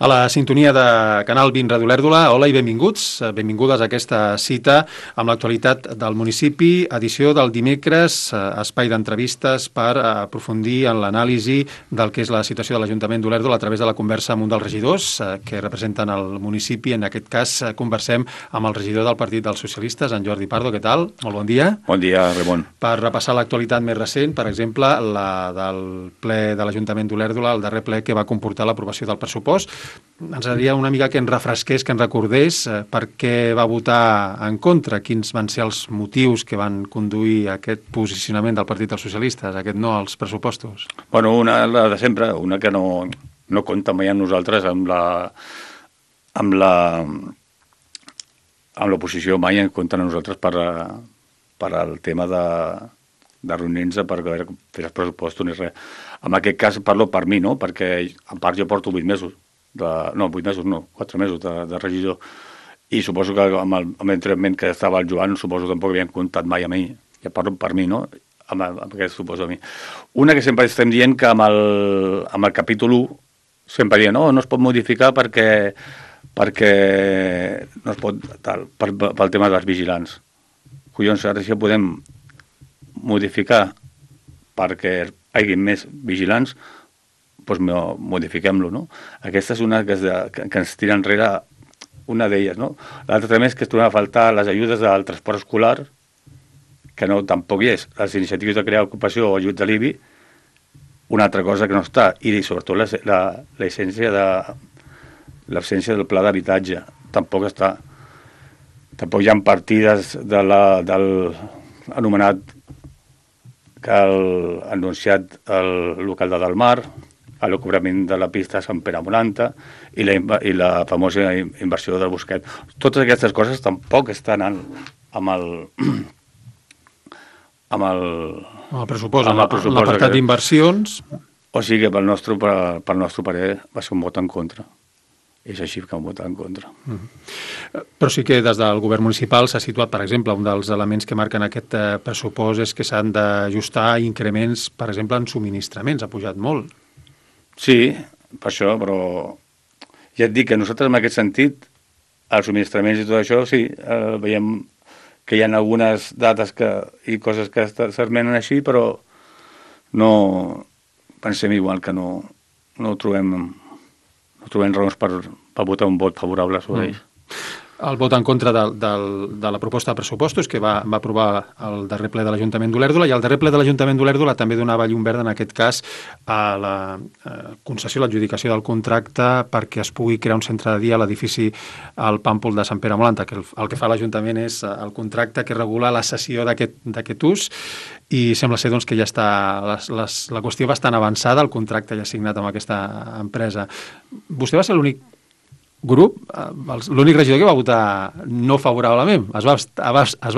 A la sintonia de Canal 20 Ràdio Olèrdola, hola i benvinguts. Benvingudes a aquesta cita amb l'actualitat del municipi, edició del dimecres, espai d'entrevistes per aprofundir en l'anàlisi del que és la situació de l'Ajuntament d'Olèrdola a través de la conversa amb un dels regidors que representen el municipi. En aquest cas, conversem amb el regidor del Partit dels Socialistes, en Jordi Pardo. Què tal? Molt bon dia. Bon dia, Ramon. Per repassar l'actualitat més recent, per exemple, la del ple de l'Ajuntament d'Olèrdola, el darrer ple que va comportar l'aprovació del pressupost. Ens agradaria una mica que ens refresqués, que ens recordés per què va votar en contra, quins van ser els motius que van conduir a aquest posicionament del Partit dels Socialistes, aquest no als pressupostos. Bueno, una la de sempre, una que no compta mai amb nosaltres, amb l'oposició mai en compta amb nosaltres per al tema de reunir-nos per fer els pressupostos ni res. En aquest cas parlo per mi, no? Perquè a part jo porto 4 mesos de regidor, i suposo que amb l'entrenament que estava el Joan, suposo que tampoc havien comptat mai a mi. Ja parlo per mi, no? Amb aquest suposo a mi. Una que sempre estem dient que amb el capítol 1 sempre dient no es pot modificar perquè no es pot pel tema dels vigilants. Collons, ara sí que podem modificar perquè hi hagi més vigilants, doncs modifiquem-lo, no? Aquesta és una que ens tira enrere, una d'elles, no? L'altra també és que es trobem a faltar les ajudes del transport escolar, que tampoc hi és. Les iniciatives de crear ocupació o ajuts de l'IBI, una altra cosa que no està, i sobretot l'essència l'absència del pla d'habitatge, tampoc està. Tampoc hi ha partides del anomenat que ha anunciat el local de Dalmar, el cobrament de la pista de Sant Pere Moranta i la famosa inversió del Busquet. Totes aquestes coses tampoc estan amb el pressupost, en l'apartat d'inversions. O sigui que pel nostre parer va ser un vot en contra. És així que han votat en contra. Però sí que des del govern municipal s'ha situat, per exemple, un dels elements que marquen aquest pressupost és que s'han d'ajustar increments, per exemple, en subministraments. Ha pujat molt. Sí, per això, però ja et dic que nosaltres en aquest sentit, els subministraments i tot això, sí, veiem que hi ha algunes dates i coses que s'esmenen així, però no pensem igual que no trobem raons per votar un vot favorable sobre ells. El vot en contra de la proposta de pressupostos que va aprovar el darrer ple de l'Ajuntament d'Olèrdola, i el darrer ple de l'Ajuntament d'Olèrdola també donava llum verda, en aquest cas, a la concessió, l'adjudicació del contracte perquè es pugui crear un centre de dia a l'edifici al Pàmpol de Sant Pere Moranta, que el que fa l'Ajuntament és el contracte que regula la cessió d'aquest ús, i sembla ser doncs, que ja està la qüestió bastant avançada, el contracte ja signat amb aquesta empresa. Vostè va ser l'únic grup, l'únic regidor que va votar no favorablement, es va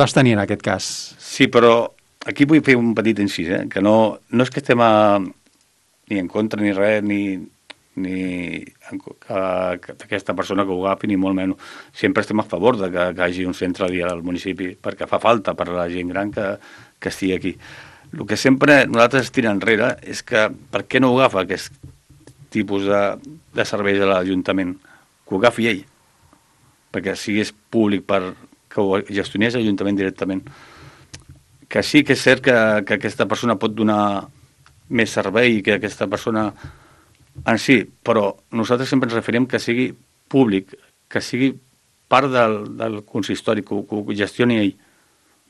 abstenir en aquest cas. Sí, però aquí vull fer un petit incís, que no és que estem ni en contra ni res, ni aquesta persona que ho agafi, ni molt menys. Sempre estem a favor de que hi hagi un centre de dia al municipi, perquè fa falta per a la gent gran que estigui aquí. El que sempre nosaltres tira enrere és que per què no ho agafa aquest tipus de serveis a l'Ajuntament? Que ho agafi ell, perquè sigués públic, que ho gestionés l'Ajuntament directament. Que sí que és cert que aquesta persona pot donar més servei, que aquesta persona en si, però nosaltres sempre ens referim que sigui públic, que sigui part del consistori, que ho gestioni ell.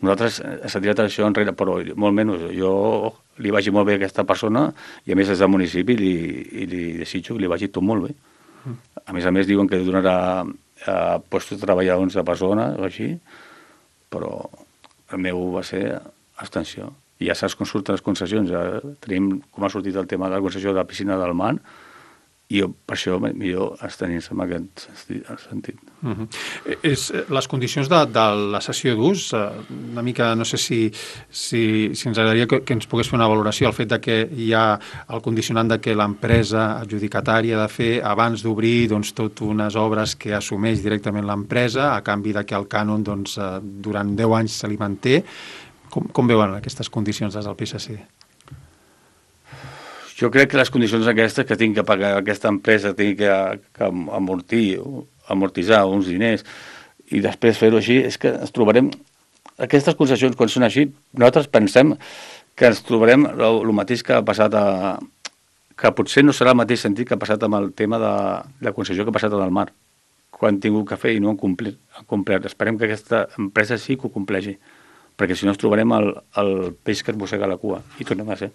Nosaltres s'ha tirat això enrere, però molt menys. Jo li vagi molt bé a aquesta persona i a més és del municipi i li desitjo que li vagi tot molt bé. A més, diuen que donarà postos de treball a 11 persones o així, però el meu va ser abstenció. I ja saps com surten les concessions. Ja tenim com ha sortit el tema de la concessió de la piscina del mar, i per això millor abstenir-se en aquest sentit. Les condicions de la cessió d'ús, una mica, no sé si ens agradaria que ens pogués fer una valoració, el fet de que hi ha el condicionant de que l'empresa adjudicatària ha de fer, abans d'obrir, tot unes obres que assumeix directament l'empresa, a canvi de que el cànon durant 10 anys se li manté. Com veuen aquestes condicions des del PSC? Jo crec que les condicions aquestes que tinc que pagar aquesta empresa, tinc que amortitzar uns diners i després fer-ho així, és que ens trobarem... Aquestes concessions, quan són així, nosaltres pensem que ens trobarem el mateix que ha passat que potser no serà el mateix sentit que ha passat amb el tema de la concessió que ha passat en el mar, quan han tingut que fer i no han complert. Esperem que aquesta empresa sí que ho compleixi, perquè si no ens trobarem el peix que es mossega la cua i tornem a ser.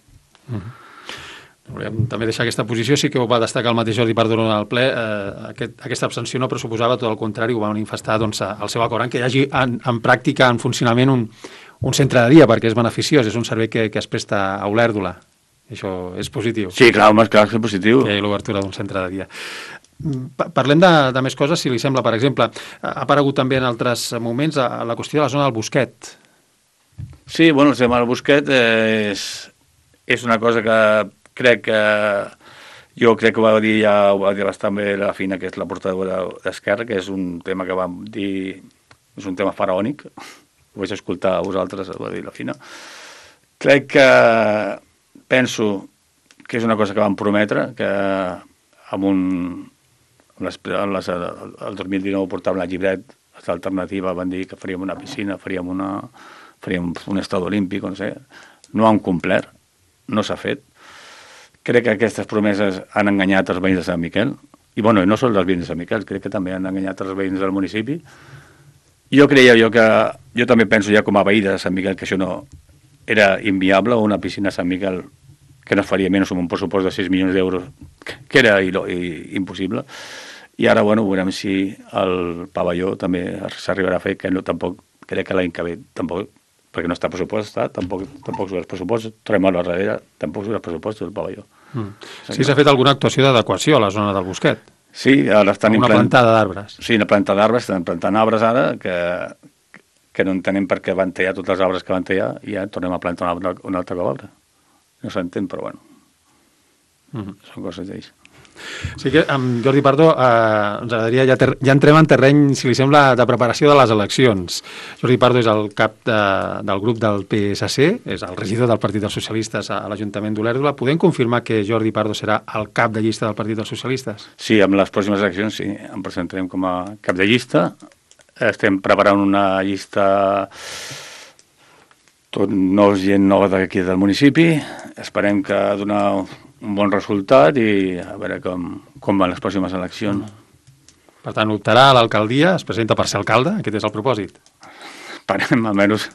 Volem també deixar aquesta posició, sí que ho va destacar el mateix Jordi Pardo en el ple, aquesta abstenció no pressuposava, tot el contrari, ho va manifestar doncs, el seu acord en que hi hagi en pràctica, en funcionament, un centre de dia, perquè és beneficiós, és un servei que es presta a Olèrdola. Això és positiu. Sí, clar, home, clar que és positiu. Que hi ha l'obertura d'un centre de dia. Parlem de més coses, si li sembla. Per exemple, ha aparegut també en altres moments la qüestió de la zona del Bosquet. Sí, bueno, el tema del Bosquet és una cosa que jo crec que ho va dir bastant bé la Fina, que és la portadora d'Esquerra, que és un tema que vam dir, és un tema faraònic, ho vaig escoltar a vosaltres, ho va dir la Fina. Crec que penso que és una cosa que vam prometre, que el 2019 portàvem la llibret d'alternativa, van dir que faríem una piscina, faríem un estadi olímpic, no sé, no han complert, no s'ha fet. Crec que aquestes promeses han enganyat els veïns de Sant Miquel, i bueno, no són els veïns de Sant Miquel, crec que també han enganyat els veïns del municipi. Jo també penso ja com a veí de Sant Miquel que això no era inviable, una piscina a Sant Miquel que no es faria menys amb un pressupost de 6 milions d'euros, que era impossible. I ara, bueno, veurem si el pavelló també s'arribarà a fer, que no, tampoc, crec que l'any que ve, tampoc, perquè no està pressupostat, tampoc surt els pressupostos, tornem a la darrere, tampoc surt els pressupostos del pavelló. Sí, s'ha fet alguna actuació d'adequació a la zona del Bosquet? Sí, ara estan una plantada d'arbres. Sí, una plantada d'arbres, estan plantant arbres ara, que no entenem per què van tallar tots els arbres que van tallar, i ja tornem a plantar un altre cop arbre. No s'entén, però bueno, són coses d'ells. Sí que amb Jordi Pardo ens agradaria, ja entrem en terreny, si li sembla, de preparació de les eleccions. Jordi Pardo és el cap del grup del PSC, és el regidor del Partit dels Socialistes a l'Ajuntament d'Olèrdola. Podem confirmar que Jordi Pardo serà el cap de llista del Partit dels Socialistes? Sí, amb les pròximes eleccions sí, em presentarem com a cap de llista. Estem preparant una llista tot gent nova d'aquí del municipi. Esperem que donar un bon resultat i a veure com van les pròximes eleccions. Per tant, optarà a l'alcaldia, es presenta per ser alcalde, aquest és el propòsit. Esperem, almenys,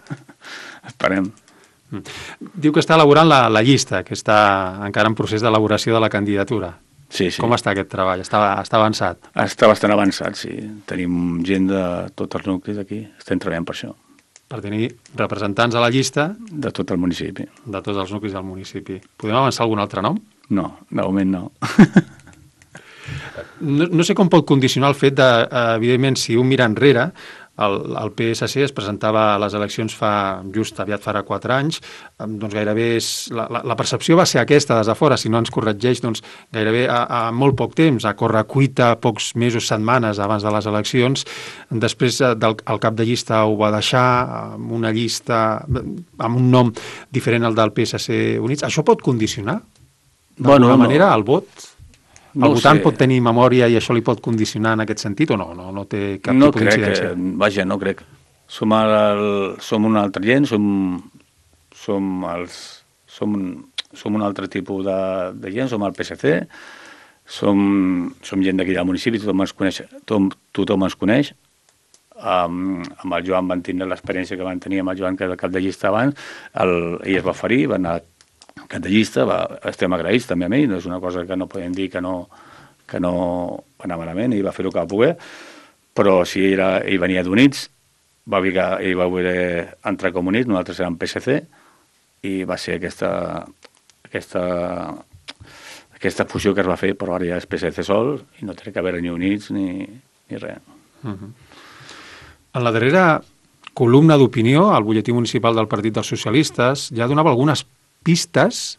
esperem. Diu que està elaborant la llista, que està encara en procés d'elaboració de la candidatura. Sí. Com està aquest treball? Està avançat? Està bastant avançat, sí. Tenim gent de tots els nuclis aquí, estem treballant per això. Per tenir representants a la llista... De tot el municipi. De tots els nuclis del municipi. Podem avançar algun altre nom? No, de moment no. No sé com pot condicionar el fet de, evidentment, si un mira enrere, el PSC es presentava a les eleccions aviat farà 4 anys, doncs gairebé la percepció va ser aquesta des de fora, si no ens corregeix, doncs gairebé a molt poc temps, a córrer cuita, pocs mesos, setmanes abans de les eleccions. Després el cap de llista ho va deixar amb una llista, amb un nom diferent al del PSC Units. Això pot condicionar d'alguna manera el vot? El votant pot tenir memòria i això li pot condicionar en aquest sentit o no? No té cap tipus d'incidència? Vaja, no crec. Som una altra gent, som un altre tipus de gent, som el PSC, som gent d'aquí del municipi, tothom ens coneix. Amb el Joan van tindre l'experiència que van tenir amb el Joan, que era el cap de llista abans, ell es va oferir, va anar cap de llista, estem agraïts també a ell, no és una cosa que no podem dir que no va anar malament, ell va fer el que va poder, però si ell venia d'Units, ell va voler entrar com Units, nosaltres érem PSC, i va ser aquesta fusió que es va fer, però ara ja és PSC sol, i no té que haver ni Units ni res. En la darrera columna d'opinió, al butlletí municipal del Partit dels Socialistes, ja donava algunes pistes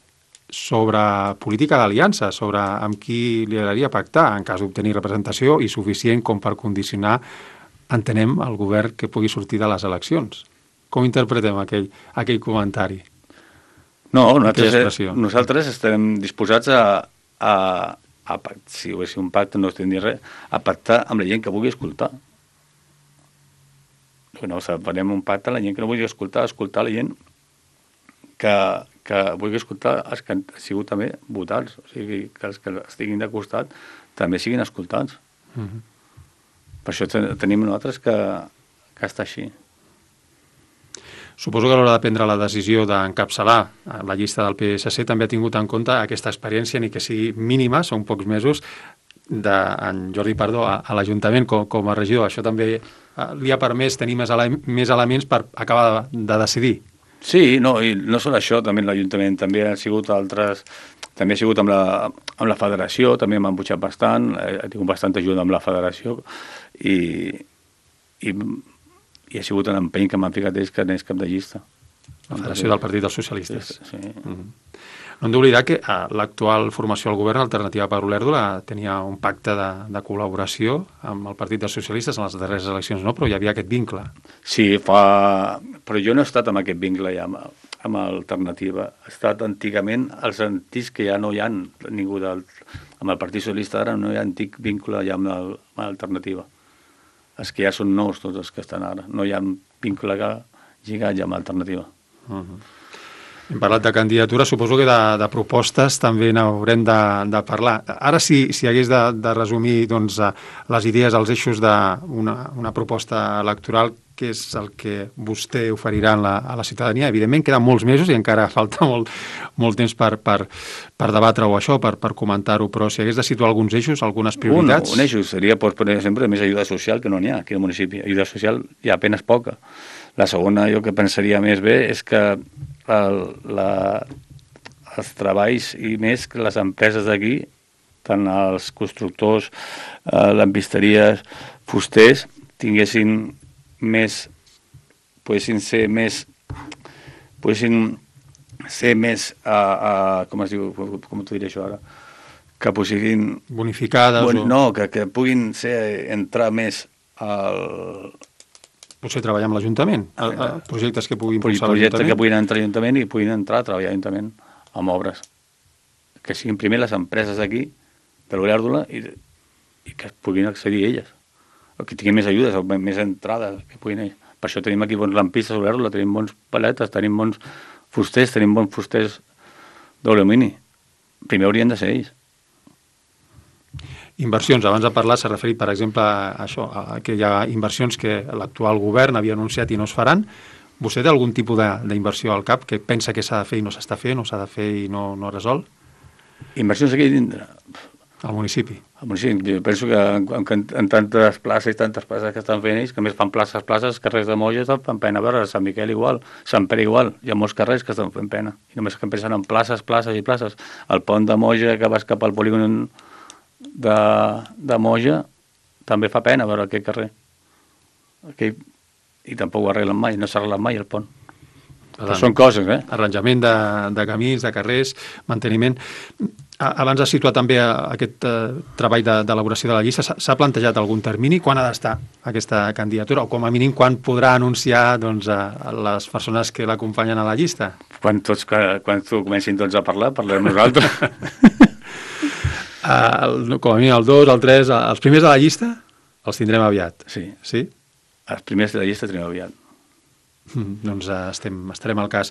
sobre política d'aliança, sobre amb qui li agradaria pactar en cas d'obtenir representació i suficient com per condicionar, entenem, el govern que pugui sortir de les eleccions. Com interpretem aquell comentari? No, nosaltres estem disposats si ho hagués un pacte, no estem dir res, a pactar amb la gent que vulgui escoltar. No, farem un pacte amb la gent que no vulgui escoltar la gent que vulgui escoltar els que han sigut també votats, o sigui, que els que estiguin de costat també siguin escoltats. Per això tenim nosaltres que està així. Suposo que a l'hora de prendre la decisió d'encapçalar la llista del PSC també ha tingut en compte aquesta experiència, ni que sigui mínima, són pocs mesos, d'en Jordi Pardo a l'Ajuntament com a regidor. Això també li ha permès tenir més elements per acabar de decidir. Sí, no, i no sol això, també l'Ajuntament, també ha sigut altres... També ha sigut amb la federació, també m'han pujat bastant, ha tingut bastanta ajuda amb la federació i ha sigut un empeny que m'han ficat ells que anés cap de llista. La Federació del Partit dels Socialistes. Sí. No hem d'oblidar que l'actual formació al govern, Alternativa per Olèrdola, tenia un pacte de col·laboració amb el Partit dels Socialistes en les darreres eleccions, no? Però hi havia aquest vincle. Sí, però jo no he estat amb aquest vincle ja amb Alternativa. Ha estat antigament els antics que ja no hi ha ningú amb el Partit Socialista ara, no hi ha antic vincle ja amb l'Alternativa. Els que ja són nous, tots els que estan ara. No hi ha vincle lligat ja amb l'Alternativa. Hem parlat de candidatura, suposo que de propostes també n'haurem de parlar. Ara, si hagués de resumir doncs, les idees, els eixos d'una proposta electoral, què és el que vostè oferirà a la ciutadania? Evidentment, queden molts mesos i encara falta molt temps per debatre-ho això, per comentar-ho, però si hagués de situar alguns eixos, algunes prioritats... Un eix seria, per exemple, més ajuda social, que no n'hi ha aquí al municipi. Ajuda social hi ha apenas poca. La segona, jo que pensaria més bé, és que els treballs i més que les empreses d'aquí, tant els constructors, lampisteries, fusters, tinguessin més, poguessin ser més, com es diu, com t'ho diré això ara, que poguessin... Bonificades No, que puguin entrar més potser treballar amb l'Ajuntament, projectes que puguin impulsar l'Ajuntament. Projectes que puguin entrar a l'Ajuntament i puguin entrar a treballar a l'Ajuntament amb obres. Que siguin primer les empreses d'aquí, de l'Olèrdola, i que puguin accedir a elles. O que tinguin més ajudes, o més entrades que puguin ells. Per això tenim aquí bons lampistes a l'Olèrdola, tenim bons paletes, tenim bons fusters d'alumini. Primer haurien de ser ells. Inversions, abans de parlar s'ha referit, per exemple, a això, que hi ha inversions que l'actual govern havia anunciat i no es faran. Vostè té algun tipus d'inversió al cap que pensa que s'ha de fer i no s'està fent, o s'ha de fer i no resol? Inversions aquí dintre? Al municipi. Al municipi. Jo penso que en tantes places i tantes places que estan fent ells, que més fan places, carrers de Moja estan fent pena. A veure, Sant Miquel igual, Sant Pere igual, hi ha molts carrers que estan fent pena. I només que pensen en places i places. El pont de Moja que vas cap al polígon de Moja també fa pena veure aquest carrer. I tampoc ho arreglen mai, no s'ha arreglat mai el pont. Però són coses, Arranjament de camins, de carrers, manteniment. Abans has situat també aquest treball d'elaboració de la llista. S'ha plantejat algun termini? Quan ha d'estar aquesta candidatura? O com a mínim quan podrà anunciar les persones que l'acompanyen a la llista? Quan comencin tots a parlar, parlem nosaltres. Com a mínim el 2, el 3, els primers de la llista els tindrem aviat. Sí. Els primers de la llista tindrem aviat. Doncs estarem al cas.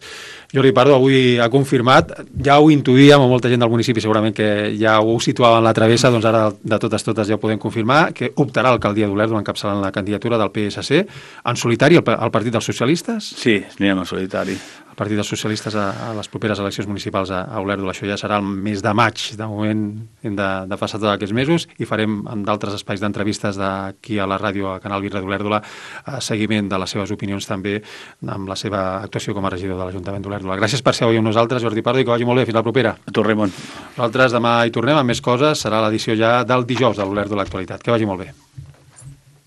Jordi Pardo avui ha confirmat, ja ho intuïem amb molta gent del municipi, segurament que ja ho situava en la travessa, doncs ara de totes ja ho podem confirmar, que optarà a l'alcaldia d'Olèrdola encapçalant la candidatura del PSC en solitari al Partit dels Socialistes? Sí, anirem en solitari. El Partit dels Socialistes a les properes eleccions municipals a Olèrdola. Això ja serà el mes de maig. De moment hem de passar tots aquests mesos i farem en d'altres espais d'entrevistes d'aquí a la ràdio, a Canal Virre d'Olèrdola, seguiment de les seves opinions també amb la seva actuació com a regidor de l'Ajuntament d'Olèrdola. Gràcies per ser avui amb nosaltres, Jordi Pardo, i que vagi molt bé. Fins la propera. A tu, Raimon. Nosaltres demà hi tornem amb més coses. Serà l'edició ja del dijous de l'Olèrdola Actualitat. Que vagi molt bé.